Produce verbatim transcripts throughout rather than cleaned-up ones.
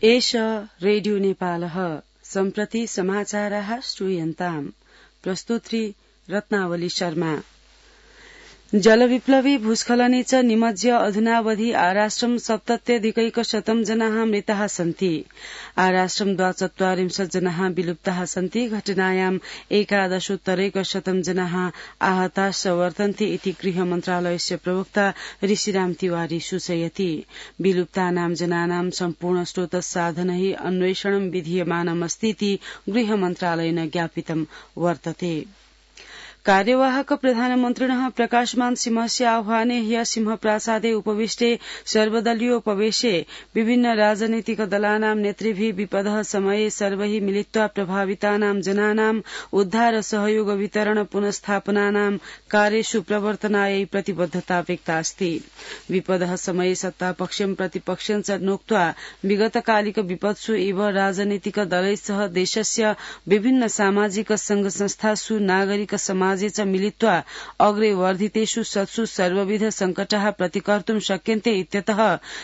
एष रेडियो नेपालः सम्प्रति समाचाराः श्रूयन्ताम्। प्रस्तुत्री रत्नावली शर्मा। जलविप्लवी भूस्खलने च निमज्य अधुनावधि आराष्ट्रं सप्तत्यधिकैकशतं जनाः मृताः सन्ति। आराष्ट्रं द्वाचत्वारिंशत् जनाः विलुप्ताः सन्ति। घटनायाम् एकादशोत्तरैकशतं जनाः आहताश्च वर्तन्ते इति गृह मन्त्रालयस्य प्रवक्ता ऋषिराम तिवारी सूचयति। विलुप्तानां जनानां सम्पूर्ण स्रोतसाधनैः अन्वेषणं विधीयमानमस्तीति गृह मन्त्रालयेन ज्ञापितं वर्तते। कार्यवाहक प्रधानमन्त्रिणः प्रकाशमान सिंहस्य आह्वाने ह्य सिंहप्रासादे उपविष्टे सर्वदलीयोपवेशे विभिन्न राजनैतिक दलानां नेतृभिः विपदः समये सर्वैः मिलित्वा प्रभावितानां जनानां उद्धार सहयोग वितरण पुनस्थापनानां कार्येषु प्रवर्तनायै प्रतिबद्धता व्यक्ता अस्ति। विपदः समये सत्तापक्षं प्रतिपक्षं च नोक्त्वा विगतकालिक विपत्सु एव राजनैतिक दलैः सह देशस्य विभिन्न सामाजिक संघ संस्थासु नागरिक समाज च मिलित्वा अग्रे वर्धितेषु सत्सु सर्वविध संकटाः प्रतिकर्तुं शक्यन्ते इत्यतः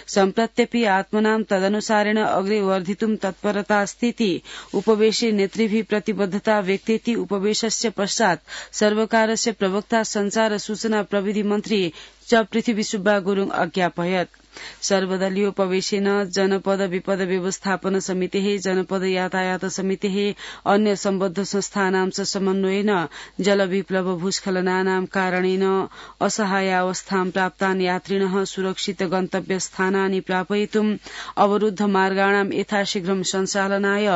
सम्प्रत्यपि आत्मनां तदनुसारेण अग्रे वर्धितुं तत्परता अस्तीति उपवेशे नेतृभिः प्रतिबद्धता व्यक्तेति उपवेशस्य पश्चात् सर्वकारस्य प्रवक्ता संचार सूचना प्रविधि मन्त्री च पृथ्वी सुब्बा गुरुङ अज्ञापयत्। सर्वदलीयोपवेशेन जनपद विपद व्यवस्थापन समितेः जनपद यातायात समितेः अन्य सम्बद्ध संस्थानां च समन्वयेन जलविप्लव भूस्खलनानां कारणेन असहायावस्थां प्राप्तान् यात्रिणः सुरक्षित गन्तव्यस्थानानि प्रापयितुं अवरुद्ध मार्गाणां यथाशीघ्रं सञ्चालनाय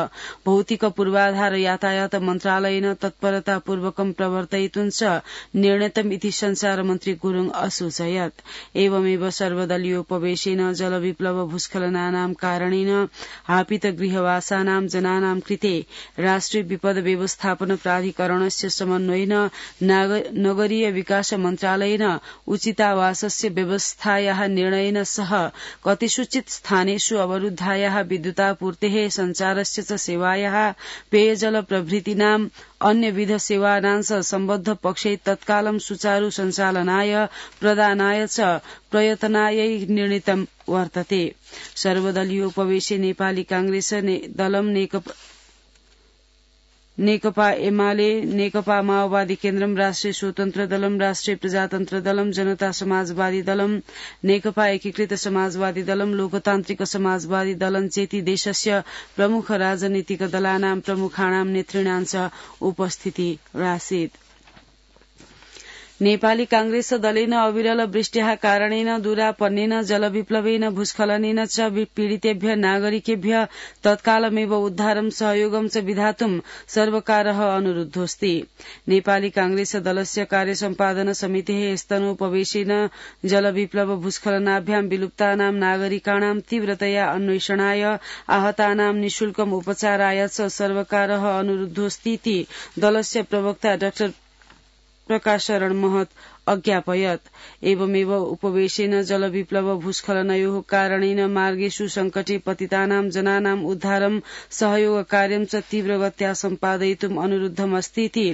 भौतिक पूर्वाधार यातायात मन्त्रालयेन तत्परतापूर्वकं प्रवर्तयितुं च निर्णीतम् इति संचार मन्त्री गुरुङ असूचयत्। एवमेव सर्वदलीयोपवेशेन वेशेन जलविप्लव भूस्खलनानां कारणेन हापित गृहवासानां जनानां कृते राष्ट्रिय विपद व्यवस्थापन प्राधिकरणस्य समन्वयेन नगरीय विकास मन्त्रालयेन उचितावासस्य व्यवस्थायाः निर्णयेन सह कतिषुचित् स्थानेषु अवरुद्धायाः विद्युतापूर्तेः सञ्चारस्य च सेवायाः पेयजल प्रभृतीनां अन्यविध सेवानां च सम्बद्ध पक्षै तत्कालं सुचारू सञ्चालनाय प्रदानाय च प्रयत्नायै निर्णीतं वर्तते। सर्वदलीयोपवेशे नेपाली कांग्रेस दलम नेकपा नेकपा एमाले नेकपा माओवादी केन्द्रम राष्ट्रिय स्वतन्त्र दलम राष्ट्रिय प्रजातन्त्र दलम जनता समाजवादी दलम नेकपा एकीकृत समाजवादी दलम लोकतान्त्रिक समाजवादी दलं चेति देशस्य प्रमुख राजनीतिक दलानां प्रमुखाणां नेतृणां च उपस्थिति रासीत्। नेपाली कांग्रेस दलेन अविरल वृष्ट्याः कारणेन दूरापन्नेन जलविप्लवेन भूस्खलनेन च पीडितेभ्य नागरिकेभ्य तत्कालमेव उद्धारं सहयोगं च विधातुं सर्वकारः अनुरुद्धोऽस्ति। नेपाली कांग्रेस दलस्य कार्यसम्पादन समितेः स्तनोपवेशेन जलविप्लव भूस्खलनाभ्यां विलुप्तानां नागरिकाणां तीव्रतया अन्वेषणाय आहतानां निःशुल्कम् उपचाराय च सर्वकारः अनुरुद्धोऽस्तीति दलस्य प्रवक्ता डाक्टर प्रकाश शरण महत अज्ञापयत्। एवमेव उपवेशेन जलविप्लव भूस्खलनयोः कारणेन मार्गेषु संकटे पतितानां जनानां उद्धारं सहयोग कार्यं च तीव्रगत्या सम्पादयितुम् अनुरुद्धमस्तीति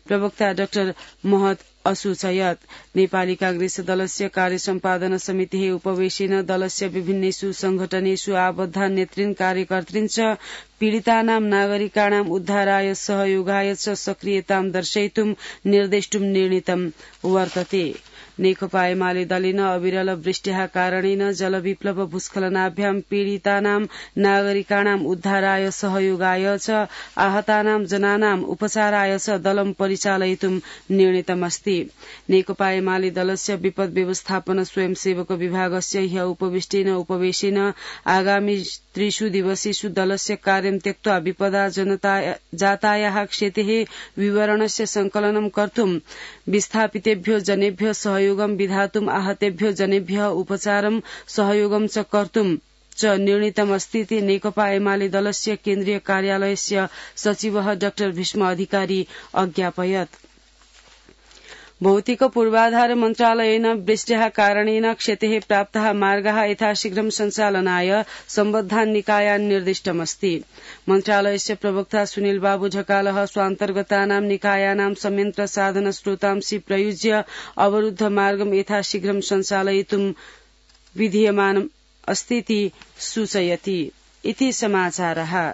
प्रवक्ता डाक्टर महत असूचयत्। नेपाली कांग्रेस दलस्य कार्यसम्पादन समितेः उपवेशेन दलस्य विभिन्नेषु संघटनेषु आबद्धा नेतृन् कार्यकर्तृन् च पीडितानां नागरिकाणां उद्धाराय सहयोगाय च सक्रियतां दर्शयितुं निर्देष्टुं निर्णीतं वर्तते। नेकपा एमाले दलेन अविरल वृष्ट्याः कारणेन जलविप्लव भूस्खलनाभ्यां पीडितानां नागरिकाणां उद्धाराय सहयोगाय च आहतानां जनानां उपचाराय च दलं परिचालयितुं निर्णीतमस्ति। नेकपा एमाले दलस्य विपद व्यवस्थापन स्वयंसेवक विभागस्य ह्य उपविष्टेन उपवेशेन आगामी त्रिषु दिवसेषु दलस्य कार्यं त्यक्त्वा विपदा जातायाः क्षेतेः विवरणस्य संकलनं कर्तुं विस्थापितेभ्यो जनेभ्यो सहयोगं विधातुम् आहतेभ्यो जनेभ्यः उपचारं सहयोगं च कर्तुं च निर्णीतमस्तीति नेकपा एमाले दलस्य केन्द्रीय कार्यालयस्य सचिवः डाक्टर भीष्म अधिकारी अज्ञापयत्। भौतिक पूर्वाधार मन्त्रालयेन वृष्ट्याः कारणेन क्षतेः प्राप्ताः मार्गाः यथाशीघ्रं सञ्चालनाय सम्बद्धान् निकायान् निर्दिष्टमस्ति। मन्त्रालयस्य प्रवक्ता सुनील बाबू झकालः स्वान्तर्गतानां निकायानां संयन्त्र साधन स्रोतांसि प्रयुज्य अवरुद्ध मार्गं यथाशीघ्रं सञ्चालयितुं विधीयमानम् अस्तीति सूचयति। इति समाचारः।